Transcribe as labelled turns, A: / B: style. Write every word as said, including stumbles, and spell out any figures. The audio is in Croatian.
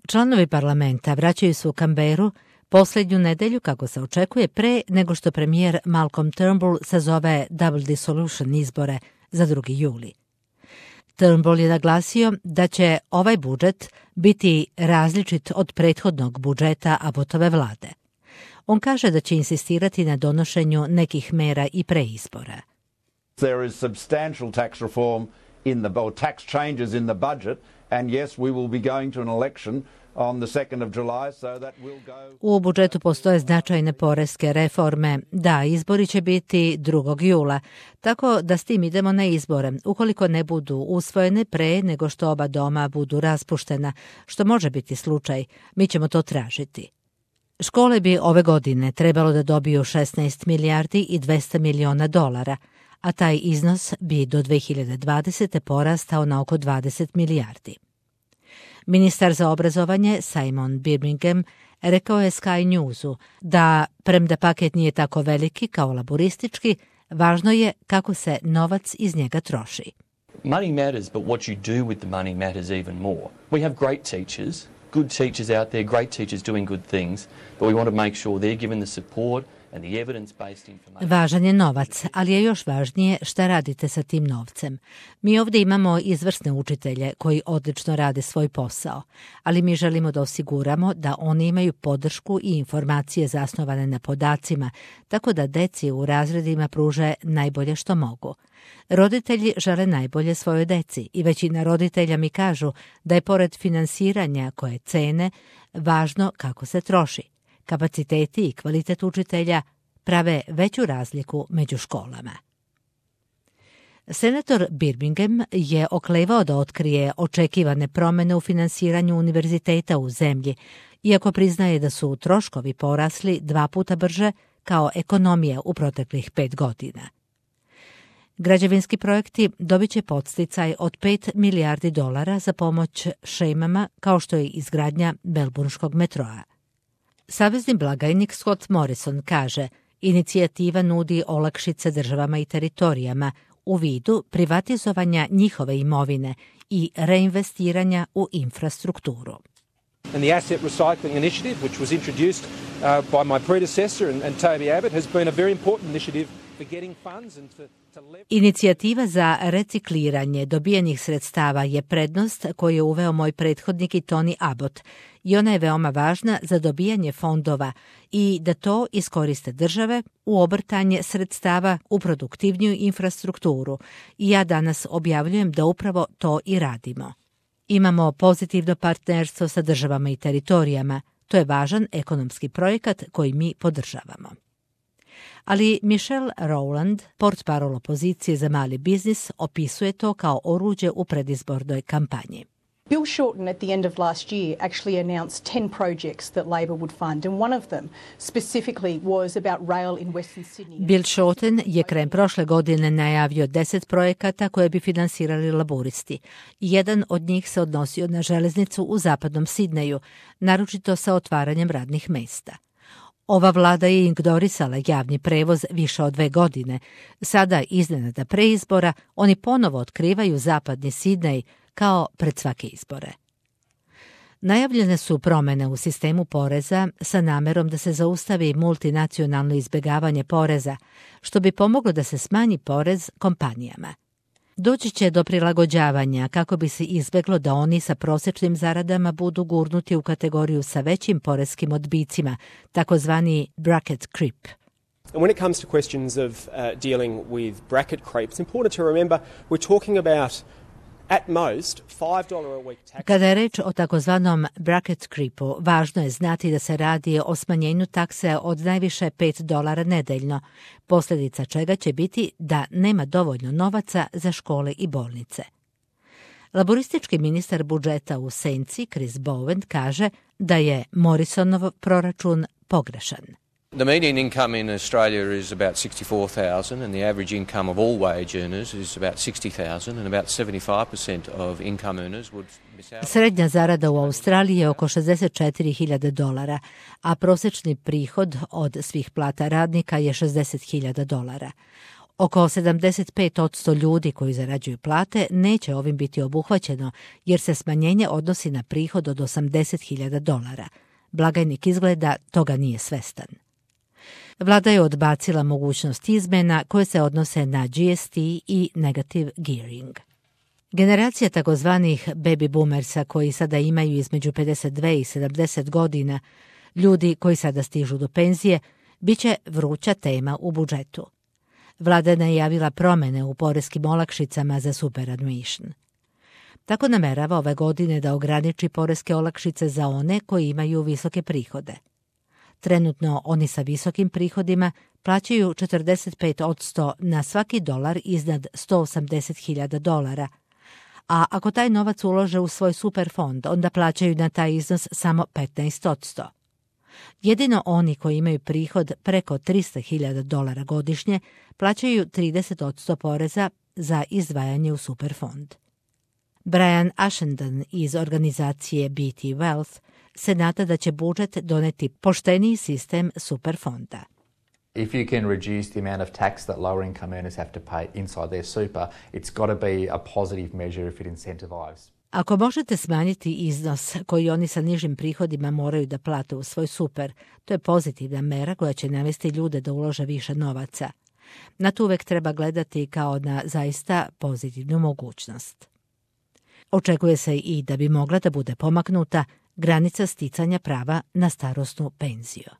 A: Članovi parlamenta vraćaju se u Canberru posljednju nedelju, kako se očekuje, pre nego što premijer Malcolm Turnbull sazove double dissolution izbore za drugi juli. Turnbull je naglasio da će ovaj budžet biti različit od prethodnog budžeta Abbotove vlade. On kaže da će insistirati na donošenju nekih mera i pre izbora.
B: There is substantial tax reform in the or tax changes in the budget, and yes, we will be going to an election on the second of July, so that will go.
A: U budžetu postoje značajne poreske reforme. Da, izbori će biti drugog jula, tako da s tim idemo na izbore, ukoliko ne budu usvojene pre nego što oba doma budu raspuštena, što može biti slučaj, mi ćemo to tražiti. Škole bi ove godine trebalo da dobiju šesnaest milijardi i dvesta miliona dolara, a taj iznos bi do dve hiljade dvadesete porastao na oko dvadeset milijardi. Ministar za obrazovanje Simon Birmingham rekao je Sky Newsu da, premda paket nije tako veliki kao laboristički, važno je kako se novac iz njega troši.
C: Money matters, but what you do with the money matters even more. We have great teachers, good teachers out there, great teachers doing good things, but we want to make sure they're given the support and the evidence-based information.
A: Važan je novac, ali je još važnije šta radite sa tim novcem. Mi ovdje imamo izvrsne učitelje koji odlično rade svoj posao, ali mi želimo da osiguramo da oni imaju podršku i informacije zasnovane na podacima, tako da deci u razredima pruže najbolje što mogu. Roditelji žele najbolje svojoj deci i većina roditelja mi kažu da je pored finansiranja koje cene, važno kako se troši. Kapaciteti i kvalitet učitelja prave veću razliku među školama. Senator Birmingham je oklevao da otkrije očekivane promjene u finansiranju univerziteta u zemlji, iako priznaje da su troškovi porasli dva puta brže kao ekonomija u proteklih pet godina. Građevinski projekti dobit će podsticaj od pet milijardi dolara za pomoć šemama kao što je izgradnja Melbourneškog metroa. Savezni blagajnik Scott Morrison kaže, inicijativa nudi olakšice državama i teritorijama u vidu privatizovanja njihove imovine i reinvestiranja u infrastrukturu.
D: And the asset recycling initiative, which was introduced uh, by my predecessor and, and Toby Abbott, has been a very important initiative for getting funds and for
A: Inicijativa za recikliranje dobijenih sredstava je prednost koju je uveo moj prethodnik i Tony Abbott i ona je veoma važna za dobijanje fondova i da to iskoriste države u obrtanje sredstava u produktivniju infrastrukturu i ja danas objavljujem da upravo to i radimo. Imamo pozitivno partnerstvo sa državama i teritorijama, to je važan ekonomski projekat koji mi podržavamo. Ali Michelle Rowland, portparol opozicije za mali biznis, opisuje to kao oruđe u predizbornoj kampanji.
E: Bill Shorten at the end of last year actually announced ten projects that Labor would fund, and one of them specifically was about rail in Western Sydney.
A: Bill Shorten je krajem prošle godine najavio deset projekata koje bi finansirali laboristi. Jedan od njih se odnosio na železnicu u zapadnom Sidneju, naročito sa otvaranjem radnih mesta. Ova vlada je ignorisala javni prevoz više od dve godine. Sada, iznenada preizbora, oni ponovo otkrivaju zapadni Sidnej kao pred svake izbore. Najavljene su promjene u sistemu poreza sa namerom da se zaustavi multinacionalno izbjegavanje poreza, što bi pomoglo da se smanji porez kompanijama. Doći će do prilagođavanja kako bi se izbjeglo da oni sa prosječnim zaradama budu gurnuti u kategoriju sa većim poreskim odbicima, takozvani bracket creep.
F: And when it comes to questions of uh, dealing with bracket creep, it's important to remember we're talking about at most five dollars a week tax.
A: Kada je reč o takozvanom bracket creepu, važno je znati da se radi o smanjenju takse od najviše pet dolara nedeljno, posljedica čega će biti da nema dovoljno novaca za škole i bolnice. Laboristički ministar budžeta u senci, Chris Bowen, kaže da je Morrisonov proračun pogrešan.
G: The median income in Australia is about sixty-four thousand and the average income of all wage earners is about sixty thousand and about seventy-five percent of income earners would miss out.
A: Srednja zarada u Australiji je oko šezdeset četiri hiljade dolara, a prosječni prihod od svih plata radnika je šezdeset hiljada dolara. Oko sedamdeset pet posto ljudi koji zarađuju plate neće ovim biti obuhvaćeno jer se smanjenje odnosi na prihod od osamdeset hiljada dolara. Blagajnik izgleda toga nije svestan. Vlada je odbacila mogućnost izmjena koje se odnose na G S T i negative gearing. Generacija takozvanih baby boomersa koji sada imaju između pedeset dve i sedamdeset godina, ljudi koji sada stižu do penzije, bit će vruća tema u budžetu. Vlada je najavila promjene u poreskim olakšicama za superannuation. Tako namerava ove godine da ograniči poreske olakšice za one koji imaju visoke prihode. Trenutno oni sa visokim prihodima plaćaju četrdeset pet posto na svaki dolar iznad sto osamdeset hiljada dolara, a ako taj novac ulože u svoj superfond, onda plaćaju na taj iznos samo petnaest posto. Jedino oni koji imaju prihod preko tristo hiljada dolara godišnje plaćaju trideset posto poreza za izdvajanje u superfond. Brian Ashendon iz organizacije B T Wealth se nada da će budžet doneti pošteniji sistem superfonda.
H: If you can reduce the amount of tax that lower income earners have to pay inside their super, it's got to be a positive measure if it incentivizes.
A: Ako možete smanjiti iznos koji oni sa nižim prihodima moraju da plate u svoj super, to je pozitivna mera koja će navesti ljude da ulože više novaca. Na to uvek treba gledati kao na zaista pozitivnu mogućnost. Očekuje se i da bi mogla da bude pomaknuta granica sticanja prava na starosnu penziju.